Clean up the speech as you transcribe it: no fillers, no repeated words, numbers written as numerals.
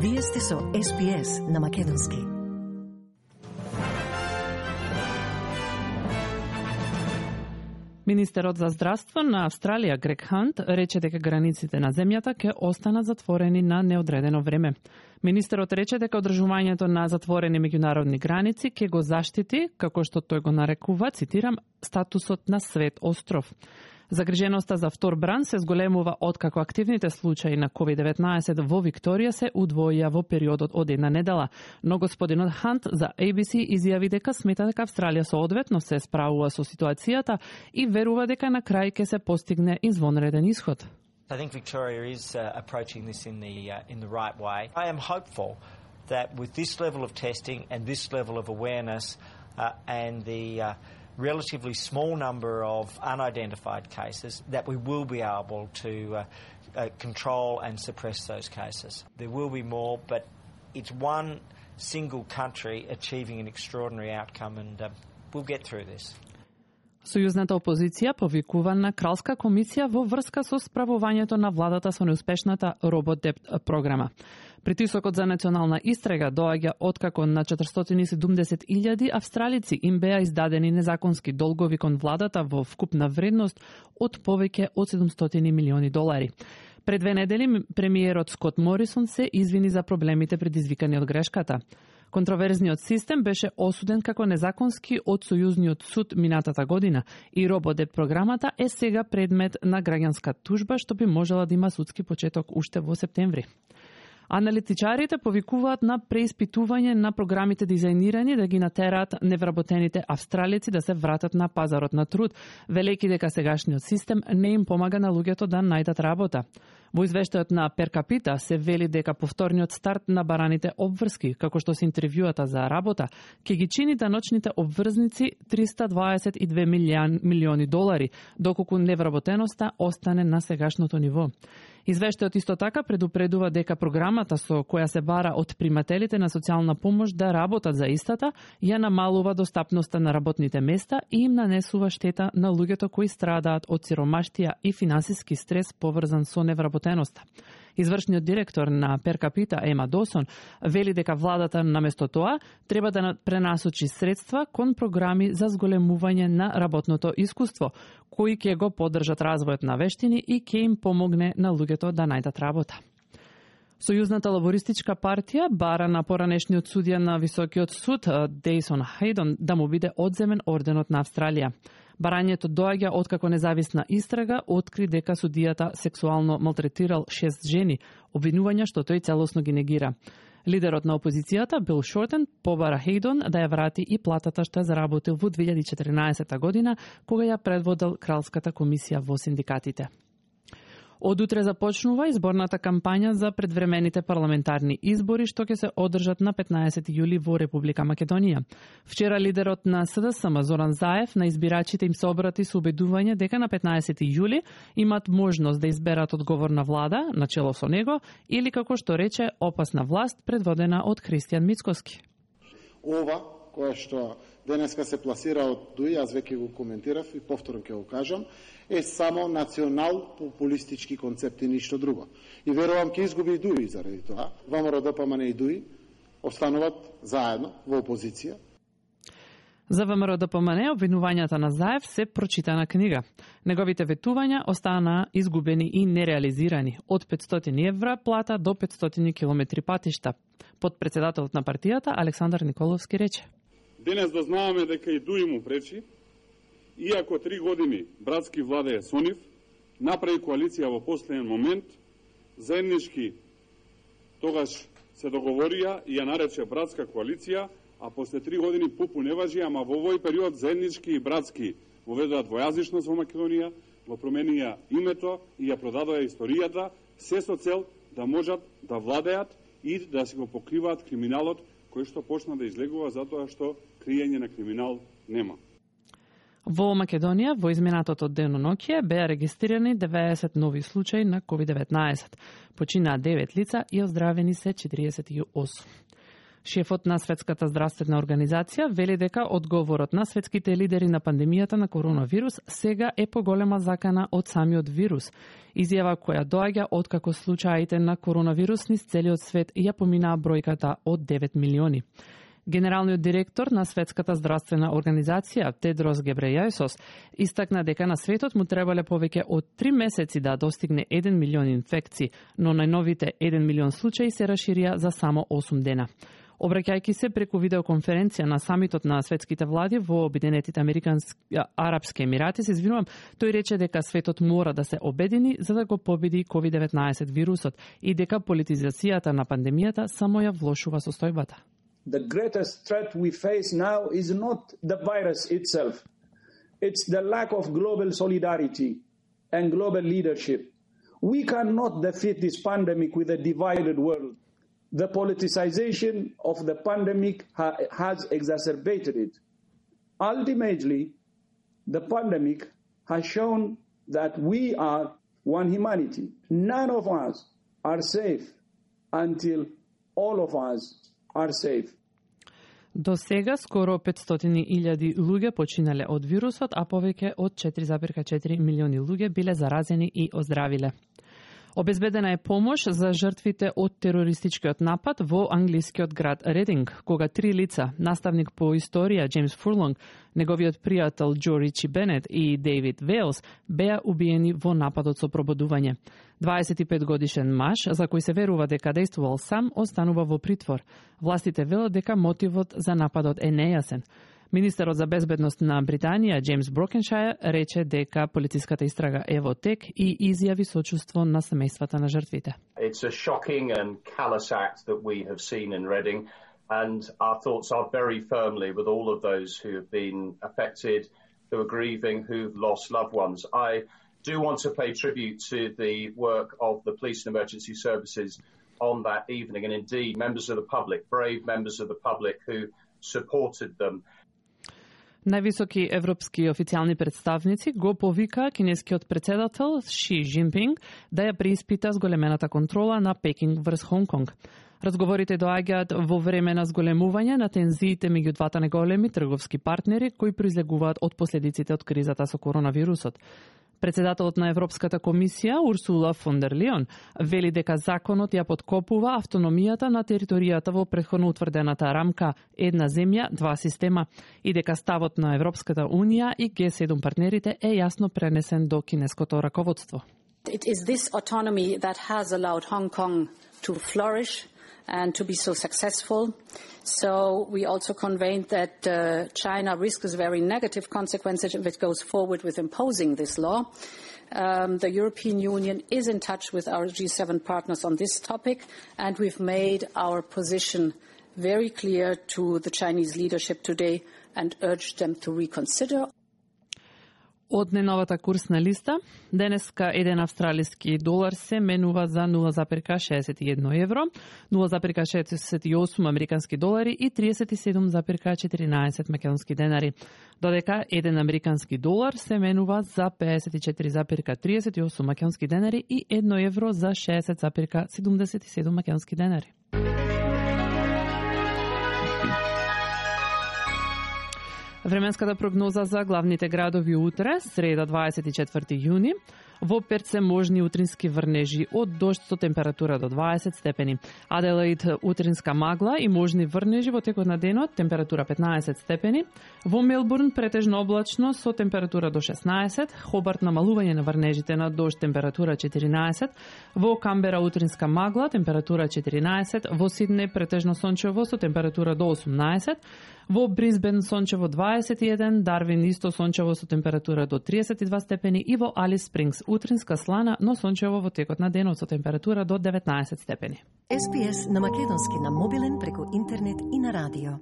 Вие сте со SPS на Македонски. Министерот за здравство на Австралија Грег Хант рече дека границите на земјата ќе останат затворени на неодредено време. Министерот рече дека одржувањето на затворени меѓународни граници ќе го заштити, како што тој го нарекува, цитирам, статусот на свет остров. Загриженоста за втор бран се зголемува откако активните случаи на COVID-19 во Викторија се удвоија во периодот од една недела. Но господинот Хант за ABC изјави дека смета дека Австралија соодветно се справува со ситуацијата и верува дека на крај ќе се постигне извонреден исход. I think Victoria is approaching this in the right way. I am hopeful that with this level of testing and this level of awareness and the relatively small number of unidentified cases, that we will be able to control and suppress those cases. There will be more, but it's one single country achieving an extraordinary outcome, and we'll get through this. Сојузната опозиција повикува на Кралска комисија во врска со справувањето на владата со неуспешната RoboDebt програма. Притисокот за национална истрага доаѓа откако на 470.000 австралици им беа издадени незаконски долгови кон владата во вкупна вредност од повеќе од $700 милиони. Пред 2 недели премиерот Скот Морисон се извини за проблемите предизвикани од грешката. Контроверзниот систем беше осуден како незаконски од Сојузниот суд минатата година и RoboDebt програмата е сега предмет на граѓанска тужба што би можела да има судски почеток уште во септември. Аналитичарите повикуваат на преиспитување на програмите дизајнирани да ги натераат невработените австралици да се вратат на пазарот на труд, велејќи дека сегашниот систем не им помага на луѓето да најдат работа. Во извештајот на Per Capita се вели дека повторниот старт на бараните обврски, како што се интервјуата за работа, ќе ги чини даночните обврзници $322 милиони, доколку невработеноста остане на сегашното ниво. Извештајот исто така предупредува дека програмата со која се бара од примателите на социјална помош да работат за истата, ја намалува достапноста на работните места и им нанесува штета на луѓето кои страдаат од сиромаштија и финансиски стрес поврзан со невработеноста. Извршниот директор на Per Capita, Ема Досон, вели дека владата наместо тоа треба да пренасочи средства кон програми за зголемување на работното искуство, кои ќе го поддржат развојот на вештини и ќе им помогне на луѓето да најдат работа. Сојузната лабористичка партија бара на поранешниот судија на Високиот суд Дейсон Хейдон да му биде одземен орденот на Австралија. Барањето доаѓа откако независна истрага откри дека судијата сексуално малтретирал 6 жени, обвинувања што тој целосно ги негира. Лидерот на опозицијата Бил Шортен побара Хейдон да ја врати и платата што ја заработил во 2014 година, кога ја предводел Кралската комисија во синдикатите. Од утре започнува изборната кампања за предвремените парламентарни избори што ќе се одржат на 15 јули во Република Македонија. Вчера лидерот на СДСМ Зоран Заев на избирачите им се обрати со убедување дека на 15 јули имат можност да изберат одговорна влада начело со него или, како што рече, опасна власт предводена од Христијан Мицкоски. Ова која што денеска се пласира од ДУИ, аз веќе го коментирав и повторно ќе го кажам, е само национал-популистички концепт и ништо друго. И верувам ќе изгуби и ДУИ заради тоа. ВМРО-ДПМН и ДУИ остануваат заедно во опозиција. За ВМРО-ДПМН обвинувањата на Заев се прочитана книга. Неговите ветувања останаа изгубени и нереализирани, од 500 евра плата до 500 километри патишта. Подпредседателот на партијата Александар Николовски рече: Денес да знаеме дека и ДУИ му пречи, иако 3 години братски владее со нив, направи коалиција во последен момент, заеднички тогаш се договорија и ја нарече братска коалиција, а после 3 години пупу не важи, ама во овој период заеднички и братски воведоа двојазичност во Македонија, го променија името и ја продадоа историјата, се со цел да можат да владеат и да се го покриваат криминалот кој што почна да излегува затоа што криење на криминал нема. Во Македонија во изминатото деноноќие беа регистрирани 90 нови случаи на COVID-19. Починаа 9 лица и оздравени се 48. Шефот на Светската здравствена организација вели дека одговорот на светските лидери на пандемијата на коронавирус сега е поголема закана од самиот вирус. Изјава која доаѓа откако случаите на коронавирус низ целиот свет ја поминаа бројката од 9 милиони. Генералниот директор на Светската здравствена организација, Тедрос Гебрејесос, истакна дека на светот му требале повеќе од 3 месеци да достигне 1 милион инфекции, но најновите 1 милион случаи се расширија за само 8 дена. Обраќајќи се преку видеоконференција на самитот на светските влади во Обединетите Арапски Емирати, тој рече дека светот мора да се обедини за да го победи COVID-19 вирусот и дека политизацијата на пандемијата само ја влошува состојбата. The greatest threat we face now is not the virus itself. It's the lack of global solidarity and global leadership. We cannot defeat this pandemic with a divided world. The politicization of the pandemic has exacerbated it. Ultimately, the pandemic has shown that we are one humanity. None of us are safe until all of us are safe. До сега скоро 500.000 луѓе починале од вирусот, а повеќе од 4,4 милиони луѓе биле заразени и оздравиле. Обезбедена е помош за жртвите од терористичкиот напад во англискиот град Рединг, кога 3 лица, наставник по историја Джеймс Фурлонг, неговиот пријател Џо Ричи Бенет и Дейвид Вейлс беа убиени во нападот со пробудување. 25 годишен маж, за кој се верува дека действувал сам, останува во притвор. Властите велат дека мотивот за нападот е нејасен. Министерот за безбедност на Британија, Джеймс Брокеншајер, рече дека полициската истрага е во тек и изјави сочувство на семејствата на жртвите. It's a shocking and callous act that we have seen in Reading, and our thoughts are very firmly with all of those who have been affected, who are grieving, who've lost loved ones. I do want to pay tribute to the work of the police and emergency services on that evening, and indeed members of the public, brave members of the public who supported them. Највисоки европски официјални представници го повика кинескиот председател Ши Џинпинг да ја преиспита зголемената контрола на Пекинг врз Хонг Конг. Разговорите доаѓаат во време на зголемување на тензиите меѓу двата најголеми трговски партнери кои произлегуваат од последиците од кризата со коронавирусот. Председателот на Европската комисија Урсула фон дер Лијон вели дека законот ја поткопува автономијата на територијата во претходно утврдената рамка една земја, два система и дека ставот на Европската унија и G7 партнерите е јасно пренесен до кинеското раководство. It is this autonomy that has allowed Hong Kong to flourish and to be so successful. So we also conveyed that China risks very negative consequences if it goes forward with imposing this law. The European Union is in touch with our G7 partners on this topic, and we've made our position very clear to the Chinese leadership today and urged them to reconsider. Од неновата курсна листа, денеска еден австралиски долар се менува за 0,61 евро, 0,68 американски долари и 37,14 македонски денари, додека еден американски долар се менува за 54,38 македонски денари и 1 евро за 60,77 македонски денари. Временската прогноза за главните градови утре, среда 24 јуни. Во Перт се можни утрински врнежи од дожд со температура до 20 степени. Аделаид утринска магла и можни врнежи во текот на денот, температура 15 степени. Во Мелбурн претежно облачно со температура до 16. Хобарт намалување на врнежите на дожд, температура 14. Во Камбера утринска магла, температура 14. Во Сиднеј претежно сончево со температура до 18. Во Брисбен сончево 21, Дарвин исто сончево со температура до 32 степени и во Алис Спрингс утринска слана, но сончево во текот на денот со температура до 19 степени. SPS на македонски на мобилен преку интернет и на радио.